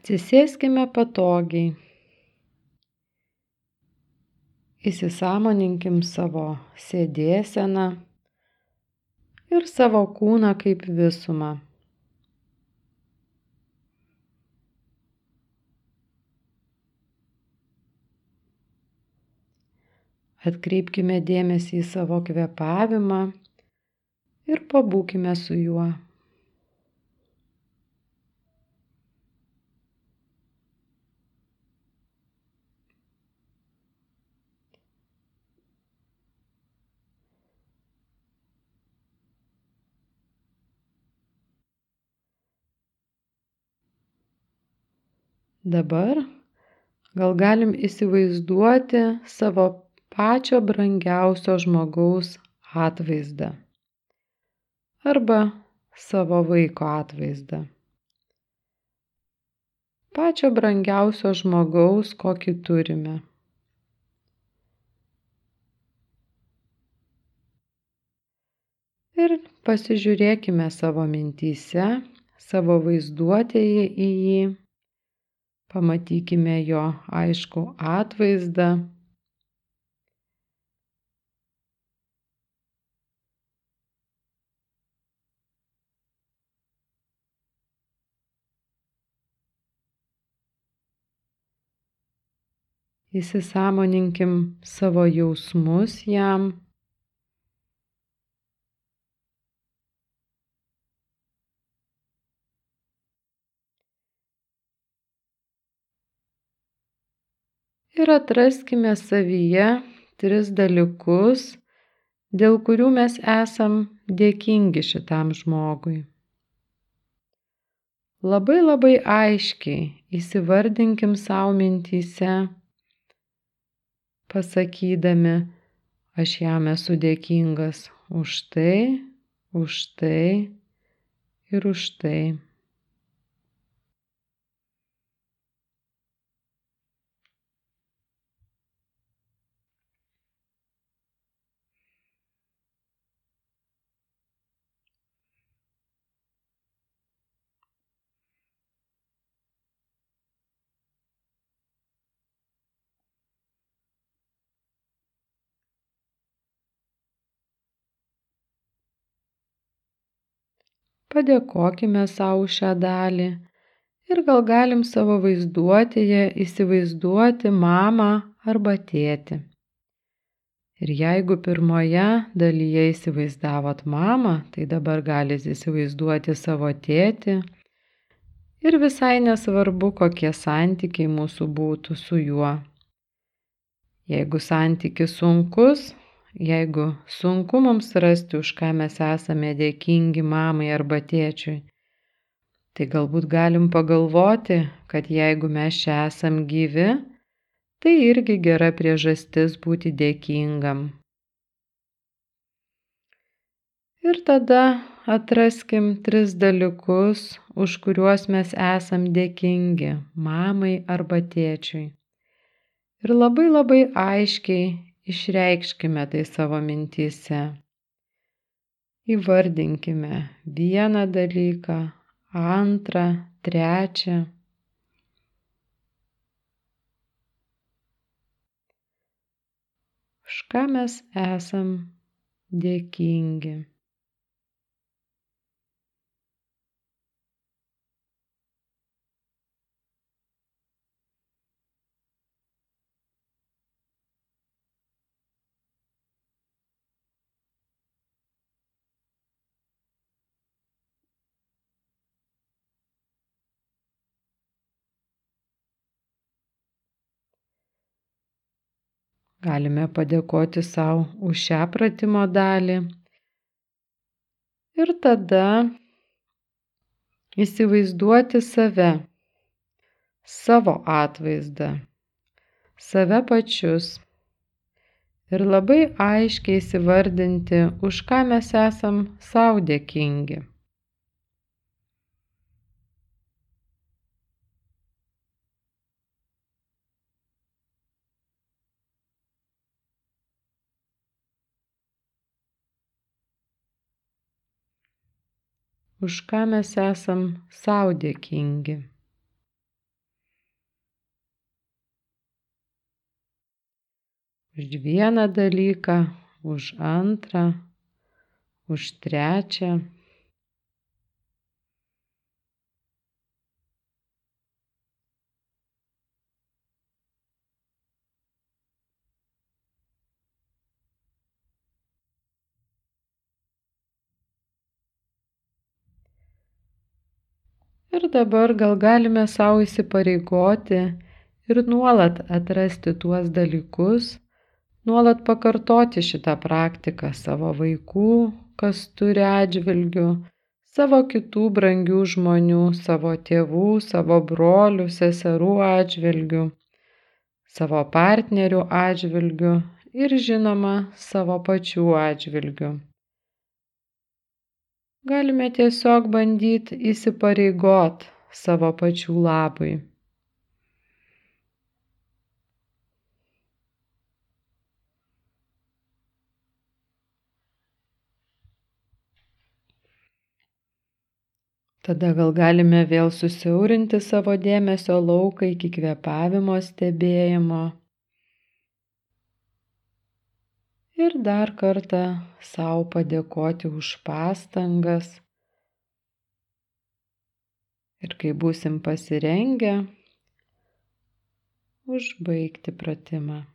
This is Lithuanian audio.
Atsisėskime patogiai. Įsisąmoninkim savo sėdėseną ir savo kūną kaip visumą. Atkreipkime dėmesį į savo kvėpavimą ir pabūkime su juo. Dabar gal galim įsivaizduoti savo pačio brangiausio žmogaus atvaizdą arba savo vaiko atvaizdą. Pačio brangiausio žmogaus, kokį turime. Ir pasižiūrėkime savo mintyse, savo vaizduotėje į jį. Pamatykime jo aiškų atvaizdą. Įsisąmoninkim savo jausmus jam. Ir atraskime savyje 3 dalykus, dėl kurių mes esam dėkingi šitam žmogui. Labai aiškiai įsivardinkim savo mintyse, pasakydami, aš jam esu dėkingas už tai ir už tai. Padėkokime savo už šią dalį ir gal galim savo vaizduotėje įsivaizduoti mamą arba tėtį. Ir jeigu pirmoje dalyje įsivaizdavot mamą, tai dabar galit įsivaizduoti savo tėtį ir visai nesvarbu, kokie santykiai mūsų būtų su juo. Jeigu santykis sunkus, jeigu sunku mums rasti, už ką mes esame dėkingi mamai arba tėčiui, tai galbūt galim pagalvoti, kad jeigu mes čia esam gyvi, tai irgi gera priežastis būti dėkingam. Ir tada atraskim 3 dalykus, už kuriuos mes esam dėkingi mamai arba tėčiui. Ir labai aiškiai išreikškime tai savo mintyse. Įvardinkime 1 dalyką, 2, 3. Už ką mes esam dėkingi. Galime padėkoti savo už šią pratimo dalį. Ir tada įsivaizduoti save, savo atvaizdą, save pačius. Ir labai aiškiai įsivardinti, už ką mes esam sau dėkingi. Už ką mes esam sau dėkingi. už vieną dalyką, už antrą, už trečią. Ir dabar gal galime savo įsipareigoti ir nuolat atrasti tuos dalykus, nuolat pakartoti šitą praktiką savo vaikų, kas turi atžvilgių, savo kitų brangių žmonių, savo tėvų, savo brolių, seserų atžvilgių, savo partnerių atžvilgių ir žinoma savo pačių atžvilgių. Galime tiesiog bandyti įsipareigot savo pačių labui. Tada gal galime vėl susiaurinti savo dėmesio lauką iki kvėpavimo stebėjimo. Ir dar kartą sau padėkoti už pastangas. Ir kai būsim pasirengę, užbaigti pratimą.